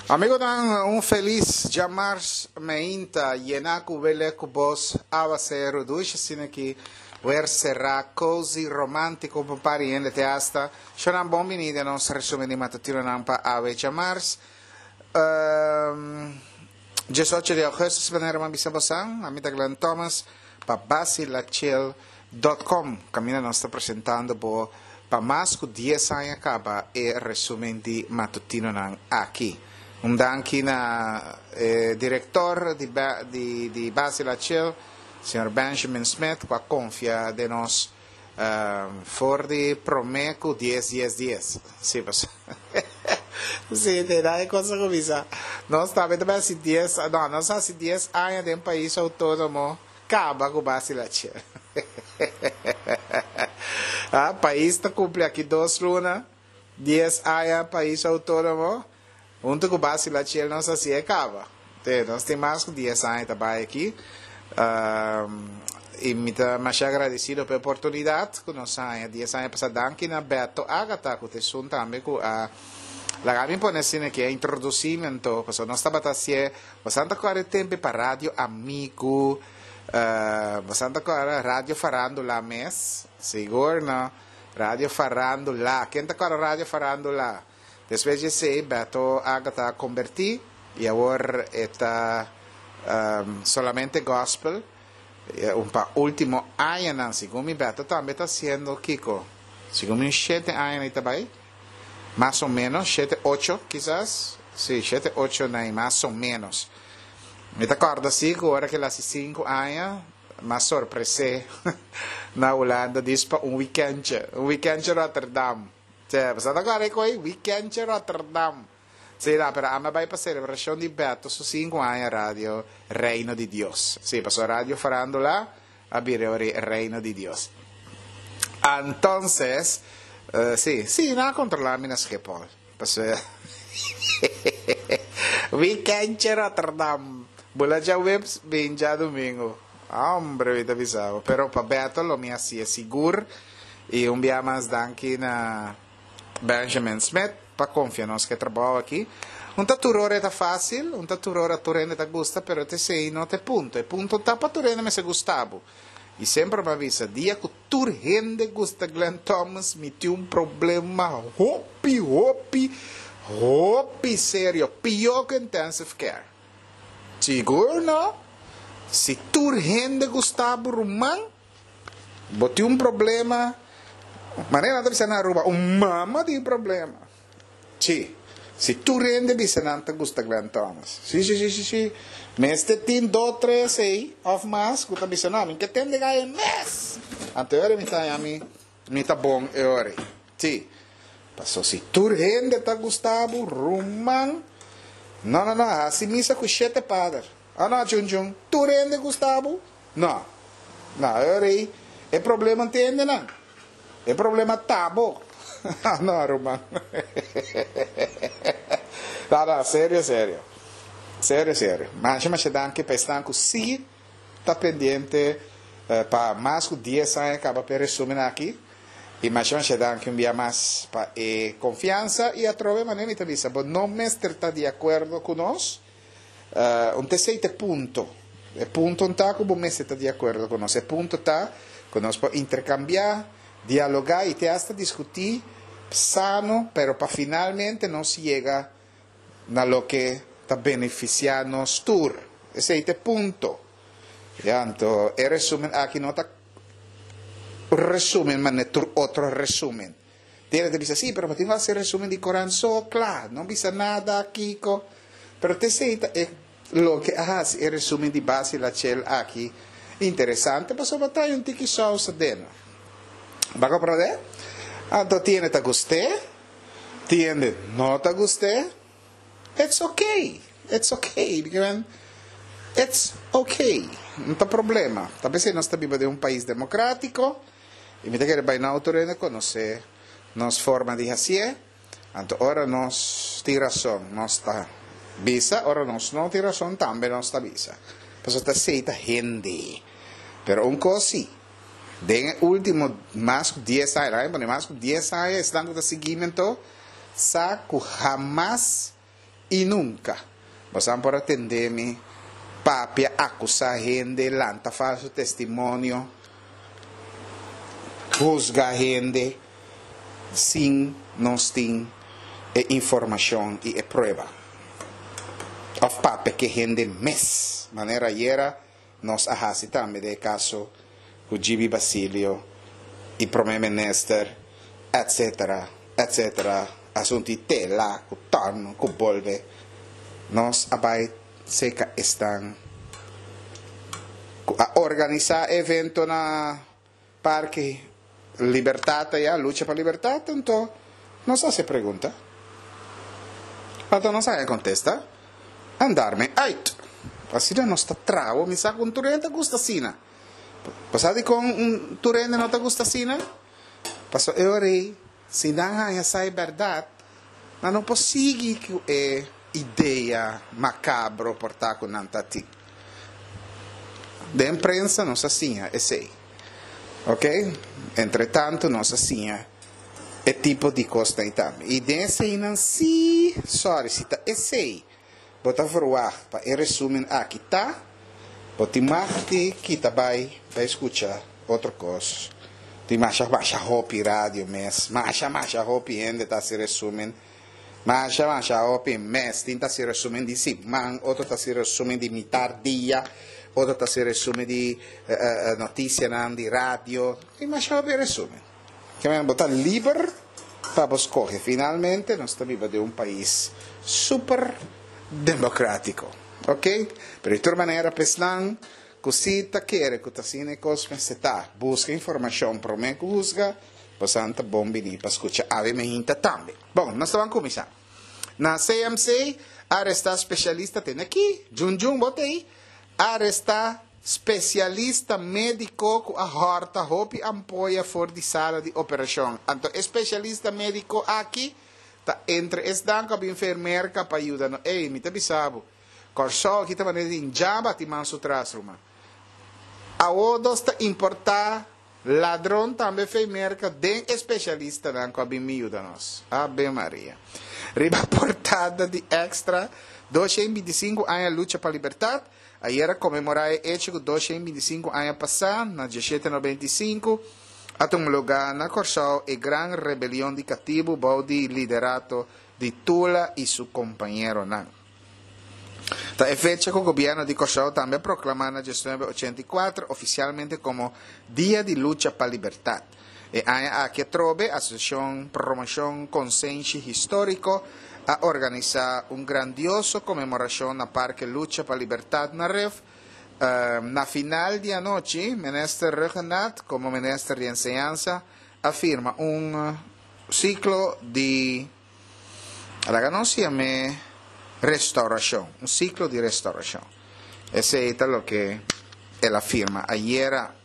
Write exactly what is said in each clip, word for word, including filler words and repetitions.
Amigonan, un felis djamars meinta yená ku welek ku bos, awaseru dushi asina aki, wer será, cozy, romántiko pa un par di hende te hasta. Shonnan bon bini den nos resumen di matutinonan pa awe djamars. Diesocho di augustus, manera mi a bisa bosan, ami ta Glenn Thomas pa Basilachil dot com kaminda nos ta presentando bo Pa mas ku dies aña kaba e resumen di matutinonan aki. Un danki na e direktor di di Basil Achille, señor Benjamin Smith, ku a konfia den nos for di promé ku dies dies dies. Sí, pasobra sí, te da e kos a kuminsá. Nos tambe ta bai hasi dies, no, nos a hasi dies aña den pais outónomo. Caba cu Basila Che. Ah, pais ta cumpli aki dos luna, dies aña pais autonomo, hunto cu Basila Che nos haci e caba. Te, nos tin mas cu dies aña ta bay aki. Y mi ta masha agradecido pa e oportunidad cu nos haña dies aña pasa. Danki na Beto Agata cu ta esun tambe cu a laga mi pone asina aki, a introduci mi anto, pasobra nos tabata hacié. Bosan ta kòrda e tempe pa Radio Amigu, bosan ta kòrda Radio Farándula mes? Sigur no. Radio Farándula. Ken ta kòrda Radio Farándula? Despues di esei Beto Agata a kombertí i awor e ta solamente gòspel. Un pa último añanan, segun mi Beto tambe ta hasiendo kiko? Segun mi un shete añanan i ta bai. Mas o menos, shete ocho kisas, si, shete ocho nai, mas o menos. Mi ta kòrda si ku ora ku el hasi sinku aña, m'a sorpres'é na Hulanda dis pa un wikèntje, un wikèntje Rotterdam. Tje, bo sa ta kòrda e koi? Wikèntje Rotterdam. Si, no, pero ami a bai pa selebrashon di Beto su sinku aña Radio Reino di Dios. Si, pasobra Radio Farándula a bira ori Reino di Dios. Antonses, si, si, nan a controla mi na Schiphol. Pasobra weekendje Rotterdam, bula djaweps bin djadumingu. Hombre, mi ta bisa bo. Pero pa Beto lo mi haci'e sigur. Y un bia mas danki na Benjamin Smith pa confia nos cu e trabou aki. Un ta tur ora e ta facil, un ta tur ora tur hende ta gusta, pero t'esey no ta e punto. E punto ta pa tur hende mester gusta bo. Y semper mi a bisa, dia cu tur hende gusta Glenn Thomas, mi tin un problema hopi, hopi, hopi serio, pio cu intensive care. Sigur no? Si tur hende gusta bo ruman, bo tin un problema, manera nan ta bisa na Aruba, un mama tin problema. Sí. Si tur hende bisa nan ta gusta Glenn Thomas. Sí, sí, sí, sí, sí. Mester tin dos, tres ei of mas ku ta bisa no, mi ke tende gai e mes. Anto e ora mi ta haña mi, mi ta bon e ora ei. Sí. Paso si tur hende ta gusta bo, ruman. No, no, no, hasi misa ku shete pader. Oh no, chun chun, tur hende gusta bo? No. No, e ora ei e problema no tin hendenan. E problema ta bo. No, ruman. No, no, serio, serio. Serio, serio. Masha, masha danki pa esnan ku sí ta pendiente pa mas ku dies aña kaba pa e resumen aki. I masha, masha danki un bia mas pa e konfiansa. I atrobe manera mi ta bisa, bo no mester ta di akuerdo ku nos. Un ta esei ta e punto. E punto no ta ku bo mester ta di akuerdo ku nos. E punto ta ku nos por interkambiá, dialogá i te asta diskutí sano, pero pa finalmente nos yega na loke ta benefisiá nos tur. Esei ta e punto. Ya, anto e resumen aki no ta un resumen manera tur otro resumen. Tene ta bisa, sí, pero bo tin ku hasi resumen di Koran so, kla, no bisa nada, kiko. Pero t'esei ta e loke a hasi e resumen di Basil Lachel aki interesante, pasobra ta un tiki sous aden. Bo a komprondé? Anto tiende ta gust'é, tiende no ta gust'é, it's okay, it's okay, it's okay, no ta problema. Ta p'esei nos ta biba den un pais demokratiko. I mi ta kere bai na otro hende konosé nos forma di hasié. Anto ora nos tin rason nos ta bisa, ora nos no tin rason tambe nos ta bisa. Pasobra ta esei ta hende. Pero un kos si, den e último mas ku dies aña, laga mi pone mas ku dies aña, esnan ku ta sigui mi anto sa ku hamas I nunka boso por a tende mi papia, akusá hende, lanta falso testimonio, husga hende sin nos tin e informashon i e prueba. Òf papia ku hende mes. Manera ayera nos a hasi tambe den kaso ku Gibi Basilio i promé minister, et cetera, et cetera. Asuntu tela, ku torno, ku bolbe. Nos a bai serka esnan a organisá evento na Parke Libertat, ya, Lucha pa Libertat, anto nos a hasi pregunta. Anto nos a kontestá. En daarmee uit. Asina nos ta traha, mi sa ku tur hende gusta asina. Pasado ku un tur hende no ta gusta asina? Paso e si nan haña sa e bèrdat, nan no por sigui ku e idea makabro por ta ku nan tatin. Den prensa nos a siña esei. Ok? Entre tantu nos a siña e tipo di kos ei tambe. I den esei nan si, sorry, si ta esei, bo ta verwacht pa e resumen aki ta, bo tin mag di kita bai, bai skucha otro kos. Tin masha masha hopi radio mes, masha masha hopi hende ta hasi resumen. Masha masha hopi mes, tin ta hasi resumen di siman, otro ta hasi resumen di mitar dia, otro ta hasi resumen di uh, uh, notisia di radio. Tin masha hopi resumen. Ke men bo ta liber pa skohe. Finalmente, nos ta biba den un pais super demokrátiko. Ok? Pero di tur manera, pa esnan ku si ta kere ku ta asina kos ta buska informashon promé ku husga, boso ta bon bini pa skucha Ave Mehinta tambe. Bon, nos ta bai kuminsá. Na C M C, arestá spesialista, tin aki, Jun Jun, botei, arestá spesialista médiko ku a hòrta hopi ampoya for di sala di operashon. Anto, spesialista médiko aki ta entre esnan ku a bin Merka pa yuda no. Ei, mi ta bisa bo. Kòrsou aki ta manera di jaba ti man su tras, ruman. Awor ta importá ladron tambe for di Merka den spesialistanan ku a bin yuda nos. Ave Maria. Riba portada di Extra, dos shen bintisinku aña lucha pa libertat. Ayera a konmemorá e echo ku dos shen bintisinku aña pasá, na diesshete nobenta i sinku, a tuma lugá na Kòrsou e gran rebelion di katibu bou di liderato di Tula i su kompañeronan. Ta e fecha ku gobièrnu di Kòrsou tambe a proklamá na diesnuebe ochenta i kuater ofisialmente komo Dia di Lucha pa Libertat. E aña aki atrobe, Asosiashon Promoshon Konsenshi Históriko a organisá un grandioso konmemorashon na Parke Lucha pa Libertat na Ref. Uh, na final di anochi, Minister Rhuggenaath, komo Minister di Enseñansa, a firma un siklo di, laga nos yam'é restourashon, un siklo di restourashon. Esei ta loke el a firma ayera.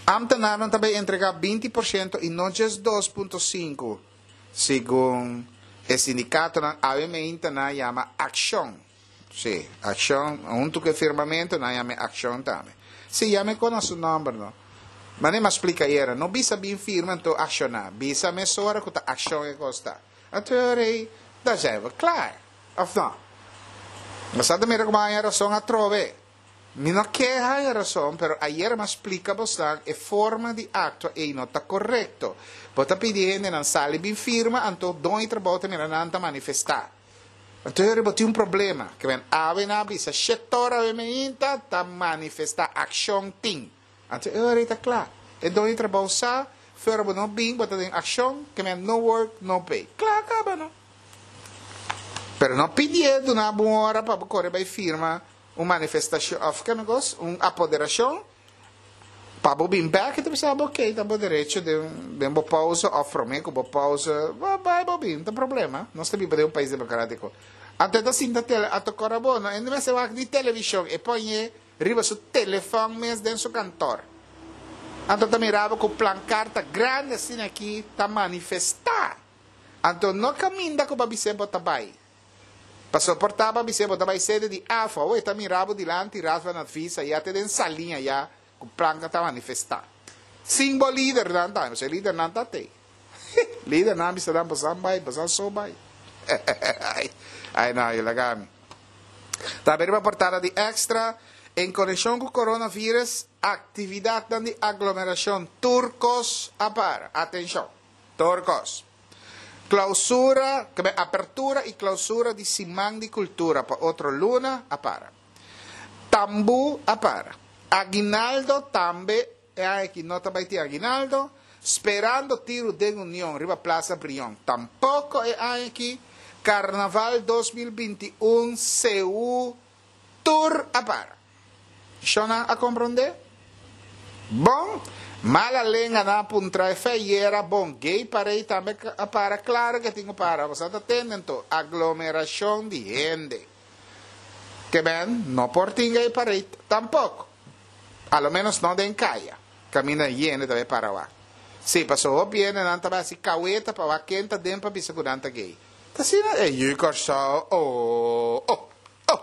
Ambtenaren tambe a entregá binti porshento i no djis dos punto sinku, segun e sindikatonan. A M nan yama akshon. Si, akshon, huntu ku firmamentu, nan yama akshon tambe. Si, yama ku su nòmber, no. Ma mi a splika ayera, no bisa bin firma, anto akshoná. Bisa mesora ku ta akshon e kos ta. Anto, dan zijn we klaar. Of no? Mas sabe mira kon a rason atrobe. Mi no ke haya rason, pero ayera m'a splika bo e forma di aktua ei no ta korekto. Bo ta pidi hendenan sali bin firma, anto doño di trabou ta mira nan ta manifestá. Anto bo tin un problema, ke men awe nan a bisa shet'or awe mainta ta manifestá, akshon tin. Anto e ta kla. E doño di trabou sa, fuera bo no bin, bo ta den akshon, ke men no work, no pay. Kla kaba, no? Pero no pidi na un ora pa kore bai firma un manifestashon, òf ki negoshi, un apoderashon, pa bo bin bèk, anto bisa, ok, ta bo derecho di di un pausa, òf promé ku bo pausa, bai bo bin, no tin problema. Nos ta biba den un pais demokrátiko. Anto ta sinta tele, anto kora bo, no, ainda mester wak di televishon, e pone riba su telefòn mes den su kantor. Anto ta mira bo ku plankarta grandi asina aki ta manifestá. Anto no kaminda ku bo bisa bo ta bai. Paso por ta bo bisa bo ta bai sede di AFA, o ta mira bo dilanti Raad van Advies, ya te den saliña ya ku planka ta manifestá. Sin bo lider nan ta, no lider nan ta te. Lider nan bisa dan pasan bai, pasan so bai. Ai no, yu laga mi. Tambe riba portada di Extra, en konekshon ku coronavirus, aktividatnan di aglomerashon tur kos a para. Atenshon, tur kos. Klousura, apertura i klousura di Siman di Kultura pa otro luna a para. Tambú a para. Aguinaldo tambe, e aki no ta bai tin aguinaldo, sperando tiru den Union riba Plaza Brion. Tampoko e aki. Karnaval dos mil binti i un Seú tur a para. Shona a komprondé? Bon, mala lenga nan a puntra e feyera, bon, gay parade tambe a para, klaro ke tin ku para, boso ta tende anto, aglomerashon di hende. Ke men no por tin gay parade tampoko. A lo menos no den kaya, kaminda yende ta bai para wak. Sí, paso hopi hendenan ta bai hasi kaweta pa wak ken ta den pa bisa ku nan ta gay. Ta asina e yu Kòrsou oh oh oh.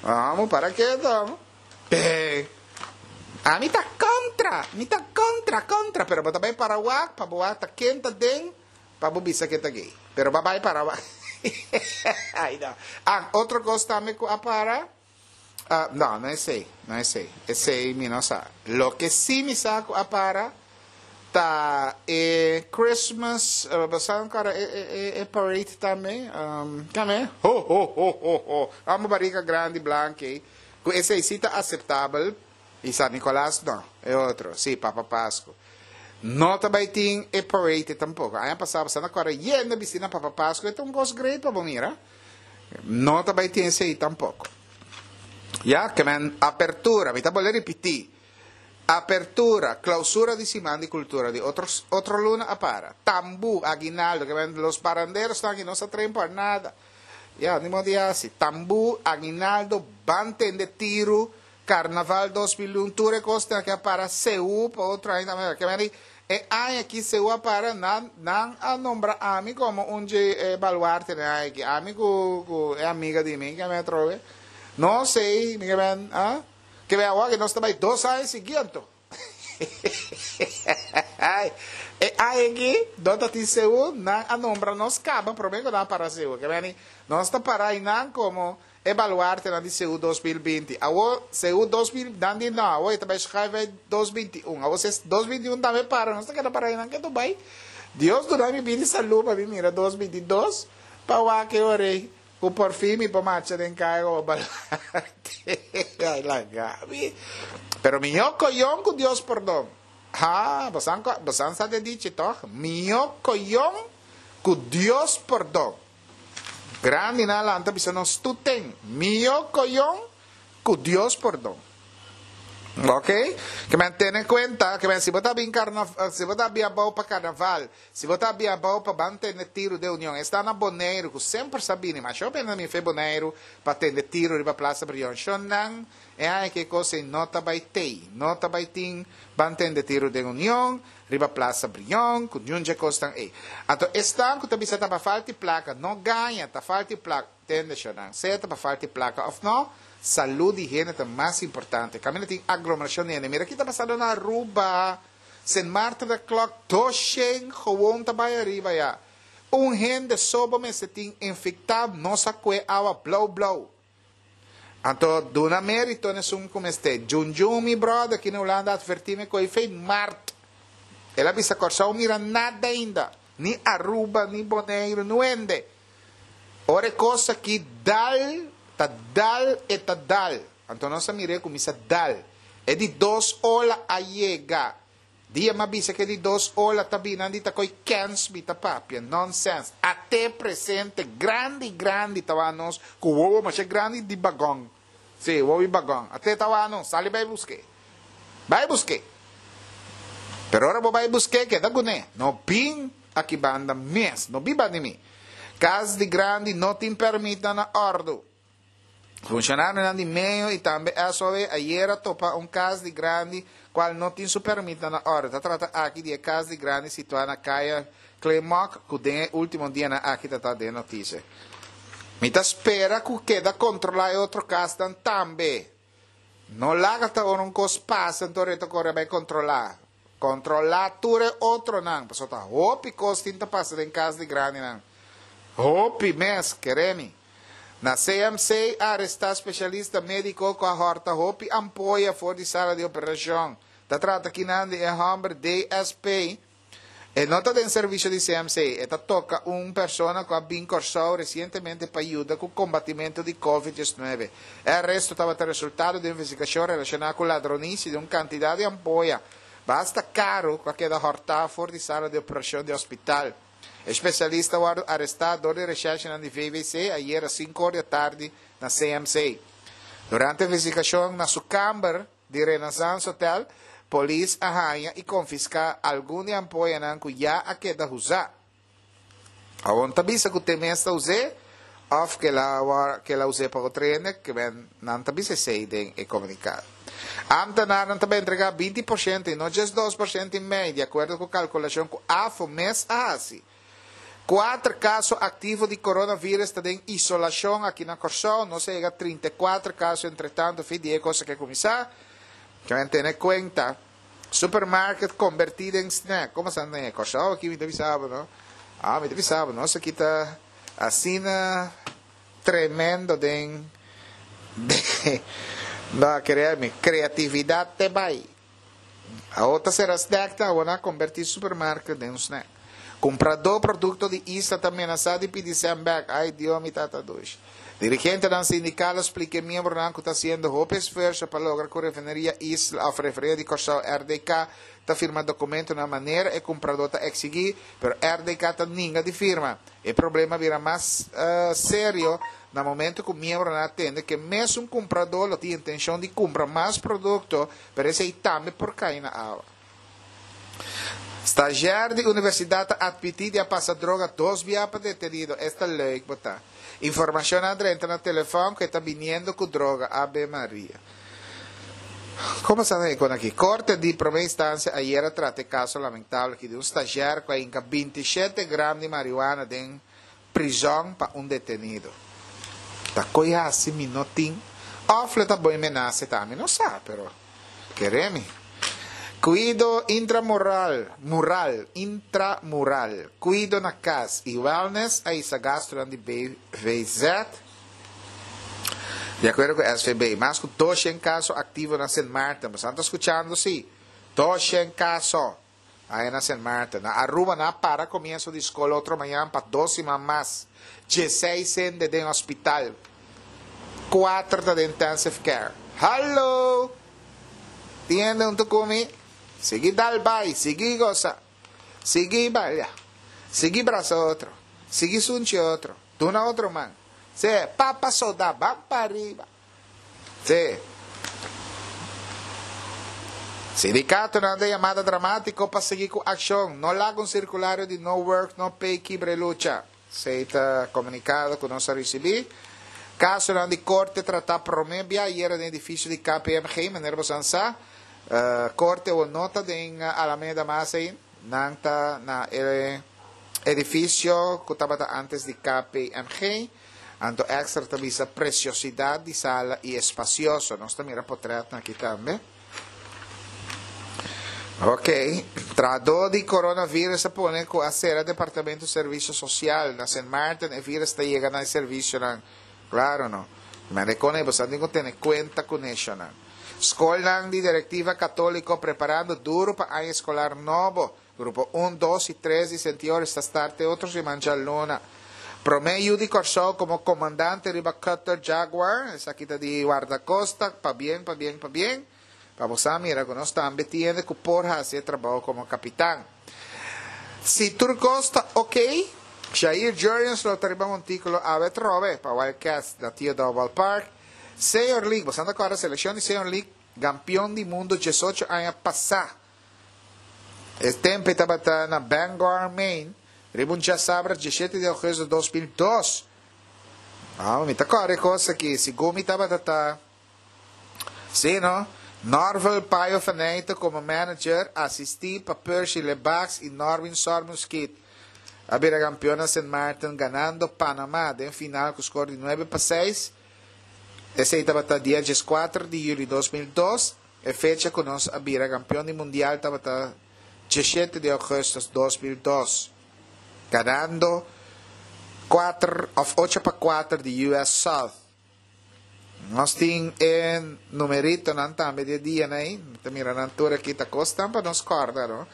Amo para keto amo. Pe ami ta kontra, mi ta kontra kontra pero bo ta bai para wak pa bo wak ta ken ta den pa bo bisa ke ta gay. Pero bo a bai para wak. Ai no. Ah, otro kos tambe ku a para, ah, no, no esei, no esei. Esei mi no sa. Loke si mi sa ku a para ta e Christmas, bo sa ankora e e e parade tambe, kame? Ho ho ho ho ho, amo barika grandi blanki ei, ku esei si ta aseptabel, i San Nicolas no, e otro, si, Papa Pasku. No ta bai tin e parade tampoko. Aña pasá bo sa na kòrda yendo bisti na Papa Pasku, e ta un kos great pa bo mira. No ta bai tin esei tampoko. Ya, ke men apertura, mi ta bolbe ripití. Apertura, clausura di Siman di Cultura di otro otro luna a para. Tambú, aguinaldo, ke men los paranderos ta aki no sa traen por nada. Ya, ni modo di hasi. Tambú, aguinaldo, ban tende tiru, Carnaval dos mil un, tur e kosnan aki a para, Seú pa otro aña tambe, ke men di e aña aki Seú a para, nan nan a nombra ami komo un dje e baluartenan e aña aki, ami ku ku e amiga di mi ke men atrobe, no sey, mi ke men, ah. Ke be awor ke nos ta bai dos aña sigui anto. E aña aki no ta tin Seú, nan a nombra nos kaba prome ku nan a para Seú. Ke beni nos ta para einan komo e baluartenan di Seú dos mil binti. Awor Seú dos mil, nan di no, awor e ta bai schuif bai dos binti un. Awor si e dos binti un tambe para, nos ta keda para einan ketu bai. Dios duna mi bini salú pa mi mira dos binti dos pa wak e ora ei. Ku por fin mi por marcha den kaya komo balante. Ay laga mi. Pero mihó koyon ku Dios pordon. Ha, bosan bosan sa de dichi tòg? Mihó koyon ku Dios pordon. Grandinan lanta bisa nos tuten. Mihó koyon ku Dios pordon. Ok? Ke men tene kuenta ke men si bo ta bin karna si bo ta bin abou pa karnaval, si bo ta bin abou pa ban tende tiru den Union, esta na Boneiru ku semper sa bini, masha hopi hende ta bin fe Boneiru pa tende tiru riba Plaza Brion. Shon nan e aña ke kos ei no ta bai tei, no ta bai tin ban tende tiru den Union, riba Plaza Brion, ku niun dje kosnan ei. Anto esnan ku ta bisa ta pa falta di plaka, no gaña, ta falta di plaka, tende shon nan, sea ta pa falta di plaka òf no, Salud di hende ta mas importante. Caminda tin aglomeracion di hende. Mira ki ta pasando na Aruba. Sint Maarten ta klok dos shen gewoon ta bay ariba ya. Un hende so bo mester tin infecta no sa cue awa blauw blauw. Anto duna merito na esun cu mester. Junjun mi brother ki na Hulanda adverti mi cu ey fey maart. El a bisa Corsou mira nada ainda. Ni Aruba ni Boneiru nuende. Ora e kos aki dal, ta dal e ta dal. Anto nos a mir'é kuminsá dal. E di dos ola a yega. Dia m'a bisa ku e di dos ola ta bini, nan di ta koi kèns mi ta papia. Nonsens. At'é presente grandi grandi ta wak nos ku wowo masha grandi di bagòn. Sí, wowo di bagòn. At'é ta wak nos. Sali bai busk'é. Bai busk'é. Pero ora bo bai busk'é, keda kuné. No bin aki banda mes. No bin banda di mi. Kas di grandi no tin pèrmitnan na òrdu. Funshonarionan di meo i tambe S O W ayera topa un kas di grandi kual no tin su pèrmitnan na òrdu. Ta trata aki di e kas di grandi situá na Kaya Klemok ku den e último dianan aki ta ta den notisia. Mi ta spera ku keda kontrolá e otro kasnan tambe. No laga ta ora un kos pasa anto reto kore bai kontrolá. Kontrolá tur e otronan, pasobra ta hopi kos tin ta pasa den kas di grandinan. Hopi mes, kere mi. Na C M C a arestá spesialista médiko ku a hòrta hopi ampoya for di sala di operashon. Ta trata akinan di e hòmber D S P. E no ta den servisio di C M C. E ta toka un persona ku a bin Kòrsou resientemente pa yuda ku kombatimentu di COVID diesnuebe. E aresto tabata resultado di investigashon relashoná ku ladronisia di un kantidat di ampoya basta karu ku a keda hòrtá for di sala di operashon di hospital. E spesialista a wòrdu arestá dor di reshèrshi di V W C ayera sinku or di atardi na C M C. Durante e investigashon na su kamber di Renaissance Hotel, polis a haña i konfiská algun di e ampoyanan ku ya a keda usá. Awor ta bisa ku e mes a usa, òf ku el a ku el a usa pa otro hende, ke men nan ta bisa esei den e komunikado. Ambtenaren tambe a entregá binti porshento i no djis dos porshento i mei, di akuerdo ku kalkulashon ku A F O mes a hasi. Kuater kaso aktivo di coronavirus ta den isolashon aki na Kòrsou, nos a yega trinta i kuater kaso entretantu, fin di kos ku kuminsá. Ke men tene kuenta. Supermarket konvertí den snack. Kon sa na Kòrsou aki mi ta bisa, no? Ah, mi ta bisa, nos aki ta asina tremendo den de, no, kere mi, kreatividat ta bai. Awor será snack ta, awor konvertí supermarket den un snack. Kumpradó produkto di Isla ta menasá di pidi sèn bèk. Ai, Dios, mi tata dushi. Dirigentenan sindikal a splika miembronan ku ta hasiendo hopi esfuerso pa logra ku refineria Isla, òf refineria di Kòrsou R D K, ta firma dokumento na manera e kumpradó ta eksigí, pero R D K ta ninga di firma. E problema a bira mas uh, serio na momento ku miembronan a tende ku mesun kumpradó lo tin intenshon di kumpra mas produkto, pero esei tambe por kai na awa. Stagiair di universidat a atmití di a pasa droga dos biaha pa detenido. Esta leuk, bo ta. Informashon a drenta na telefòn ku ta biniendo ku droga. Ave Maria. Kon sa kon aki? Korte di promé instansia ayera a trata e kaso lamentabel aki di un stagiair ku a hinka bintisshete gram di marihuana den prizòn pa un detenido. Ta koi hasi mi no tin. Òf ta bon menasa tambe, no sa, pero kere mi. Kuido intramural, mural, intramural, kuido na kas i wellness, a hisa gastu di B V Z. Di akuerdo ku S V B, mas ku dosshen kaso aktivo na Saint Martin. Bo ta skuchando, sí? Dosshen kaso ei na Saint Martin. Na Aruba, nan a para komienso di skol otro mañan pa dos siman mas. diesseis hende den hospital. Kuater ta den intensive care. Hallo! Tiende un ku mi? Sigui dal bai, sigui gosa. Sigui baila. Sigui brasa otro. Sigui sunchi otro. Duna otro man. Sí, papa soda, ban pa ariba. Sí. Sindikatonan ta yamada dramátiko pa sigui ku akshon. No laga un sirkulario di no work, no pay, kibra lucha. Esei ta komunikado ku nos a risibí. Kaso di korte tratá promé biaha ayera den edifisio di K P M G, manera bo sa. Uh, korte o no ta den Alameda mas ei, nan ta na e edifisio ku tabata antes di K P M G. Anto Extra ta bisa presiosidat di sala i espasioso. Nos ta mira portrèt aki tambe. Ok. Tratado di coronavirus a pone ku a sera departamento di servisio sosial na Saint Martin, e virus ta yega na servisionan. Klaro, no? Ma rekone, bo tin ku tene kuenta ku esei. Skol di direktiva katóliko preparando duru pa aña eskolar nobo. Grupo un, dos i tres di Saint Joris ta start otro siman djaluna. Promé yu di Kòrsou komo komandante riba Cutter Jaguar, esaki ta di Guardacosta, pabien, pabien, pabien. Pa bo mira ku nos tambe tin ku por hasi trabou komo kapitan. Si tur kos ta ok, Jair Jurrjens lo ta riba montíkulo awe trobe pa Wildcats na Theodore Ballpark. Senior League, bo ta kòrda selekshon di Senior League, kampeon di mundu diesocho aña pasá. E tempu tabata na Bangor, Maine, riba un djasabra diesshete di ougùstùs di dos mil dos. Ah, mi ta kòrda kos aki, segun mi tabata ta. Sí, no? Norval Payo Faneyte komo manager, asistí pa Percy Lebax i Norwin Sormuskit. A bira kampeon na Saint Martin, ganando Panama den final ku skor di nuebe pa seis. Esei tabata dia dieskuater di yüli di dos mil dos. E fecha ku nos a bira kampeon di mundial tabata diesshete di ougùstùs di dos mil dos. Ganando Kuater of ocho pa kuater di U S South. Nos tin e numeritonan tambe di e dianan ei. Mi ta mira nan tur aki ta kosnan pa nos kòrda, no?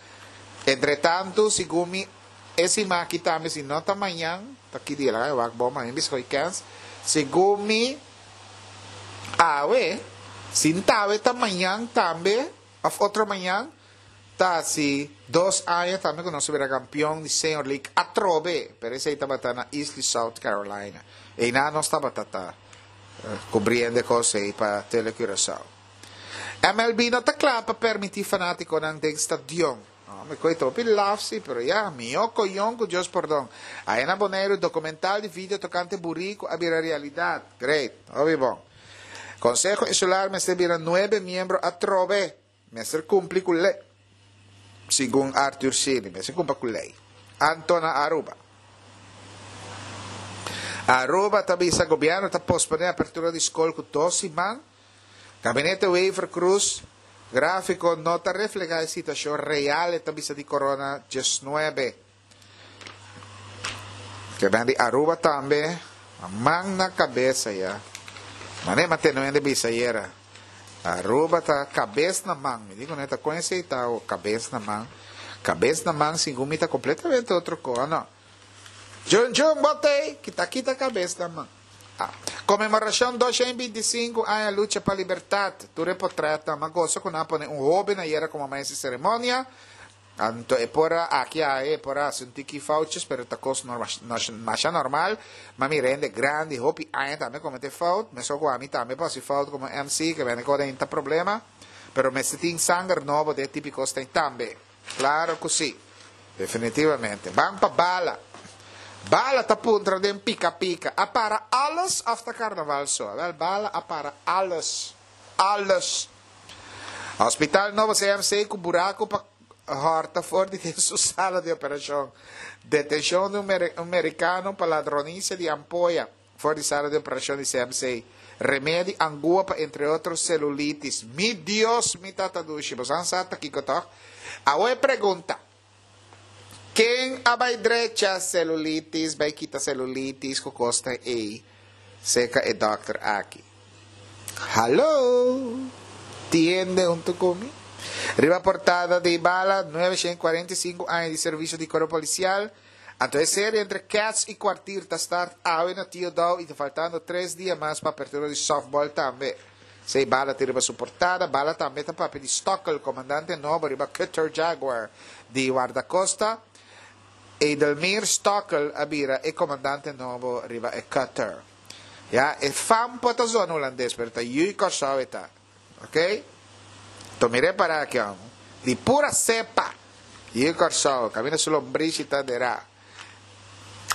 Entretantu, segun mi, e siman aki tambe, si no ta mañan, ta ki dia laga wak bon, mañan bisa koe kens. Segun mi, awe, si n ta awe ta mañan tambe, of otro mañan, ta hasi dos aña tambe ku nos a bira kampion di Senior League atrobe, pero esei tabata na Easley, South Carolina. Einan nos tabata ta kubriendo e kos ei pa Tele Curaçao. M L B no ta kla pa permití fanátikonan den stadion. No, mi koe ta hopi laf si, pero ya, mihó koyon ku Dios pordon. Aya na Boneiru, dokumental di video tokante buriku a bira realidat. Great, hopi bon. Konseho Insular mester bira nuebe miembro atrobe. Mester kumpli ku lei, segun Arthur Sini. Mester kumpla ku lei. Anto na Aruba. Aruba ta bisa gobièrnu ta posponé apertura di skol ku dos siman. Gabinete Wever-Croes, gráfiko no ta reflehá e situashon real, e ta bisa di corona diesnuebe. Ke ben di Aruba tambe, man na kabesa ya. Mane mantene hende bisa ayera. Aruba ta kabes na man. Mi di ku ta kon esei ta o kabes na man. Kabes na man segun mi ta kompletamente otro ko, no? Jun Jun botei, kita kita kabes na man. Ah. Konmemorashon dosha i binti sinku aña lucha pa libertat. Tur e potretnan ma gosa ku nan a pone un hoben ayera komo maestro di seremonia. Anto e por a aki a e por a hasi un tiki foutjes, pero ta kos masha normal. Ma mi rende grandi hopi aña tambe komete fout. Mesun ku ami tambe por hasi fout komo M C, ke bende kos ta problema. Pero mester tin sanger nobo den e tipiko kos tambe. Klaro ku si. Definitivamente. Ban pa bala. Bala ta puntra den pika pika. A para alles of ta karnaval so? Awel, bala a para alles. Alles. Hospital nobo C M C ku buraku pa hòrta for di den su sala di operashon. Detenshon di un un merikano pa ladronisia di ampoya for di sala di operashon di C M C. Remedi angua pa entre otro celulitis. Mi Dios, mi tata dushi. Bo san sa ta kiko tòg? Awo e pregunta. Ken a bai drecha celulitis, bai kita celulitis ku kosta ei seka e dòkter aki? Hallo! Tiende huntu ku mi? Riba portada di bala, nuebe shen kuarenta i sinku aña di servisio di Kuerpo Polisial. Anto e serie entre Cats i Kwartier ta start awe na Tio Daou i ta faltando tres dia mas pa apertura di softball tambe. Sei bala tin riba su portada, bala tambe ta papia di Stokkel, komandante nobo riba Cutter Jaguar di Wardakosta. Edelmir Stokkel a bira e komandante nobo riba e Cutter. Ya, e fampo ta zona hulandes, pero ta yui Kòrsou e ta. Ok? To mi repará aki, hòm. Di pura sepa. Yui Kòrsou, kaminda su lombrishi ta derá.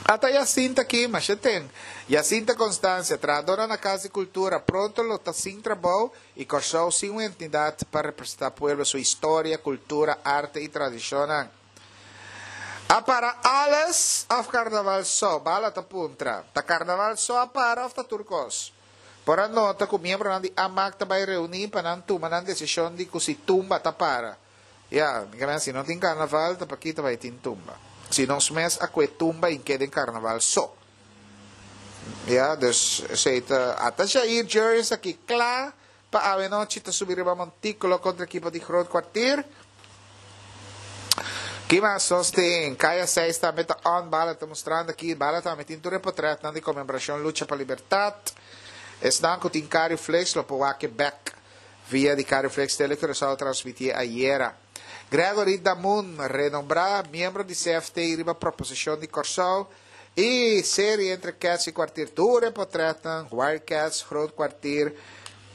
Ata Jacinta aki, masha ten. Jacinta Constancia, trahadónan na Kas di Kultura, pronto lo ta sin trabou i Kòrsou sin un entidat pa representá pueblo su historia, kultura, arte i tradishonnan. A para alles òf karnaval so? Bala ta puntra. Ta karnaval so a para òf ta tur kos? Por a nota ku miembronan di AMAC ta bai reuní pa nan tuma nan desishon di ku si tumba ta para. Ya, mi ke si no tin karnaval, ta pakí ta bai tin tumba. Si nos mes a kue tumba i ke den karnaval so. Ya, dus esei ta ata Jair Jurrjens aki kla pa awe nochi ta subi riba montíkulo kontra ekipo di Groot Kwartier. Ki mas nos tin? Kaya seis tambe ta on, bala ta mustrando aki, bala tambe tin tur e potretnan di konmemorashon Lucha pa Libertat. Esnan ku tin Cariflex lo por wak e bek via di Cariflex Tele Curaçao a transmitié ayera. Gregory Damun, renombrá miembro di C F T riba proposishon di Kòrsou i serie entre Cats i Kwartier tur e potretnan, Wildcats, Groot Kwartier.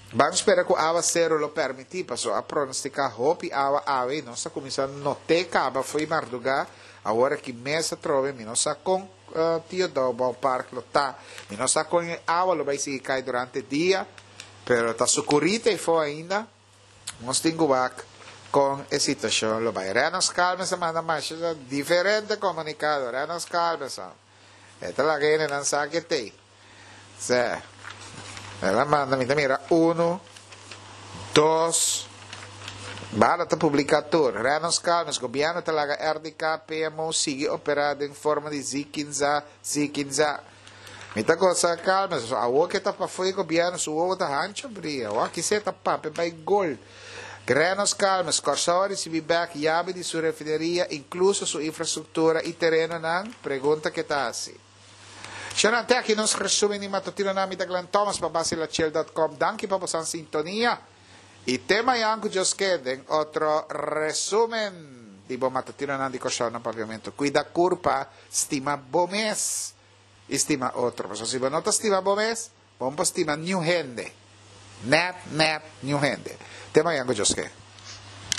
Ban spera ku awa sero lo permití, paso a pronostiká hopi awa awe i nos a kuminsá not'é kaba fo'i mardugá, awor aki mes atrobe mi no sa kon Tio Daou Ballpark lo ta, mi no sa kon e awa lo bai sigui kai durante dia, pero ta sukurita ei fo ainda, nos tin ku wak kon e situashon lo bai. Renos Calmes a manda masha diferente komunikado, Renos Calmes, e ta laga hendenan sa ke t'ei. Sè, el a manda, mi ta mira uno, dos, Bala ta publiká tur. Reynolds Calmes, gobièrnu ta laga R D K P M O sigui operá den forma di zikinza, zikinza. Mi ta gosa Calmes, awor ku ta pafó di gobièrnu, su wowo ta hanchu bria. Aki se ta papia bai gol. Reynolds Calmes, Kòrsou a risibí bèk yabi di su refineria, inkluso su infrastruktura i terenonan? Pregunta ku ta asina. Shana, te aki nos resumen di matutino na mi ta Glenn Thomas pa basilachel punto com. Danki pa boso sintonia. I te mañan ku Dios ke den otro resumen di bo matutinonan di Kòrsou na Papiamentu. Kuida kurpa, stima bo mes i stima otro. Pasobra si bo no ta stima bo mes, bo no por stima niun hende. Net, net, niun hende. Te mañan ku Dios ke.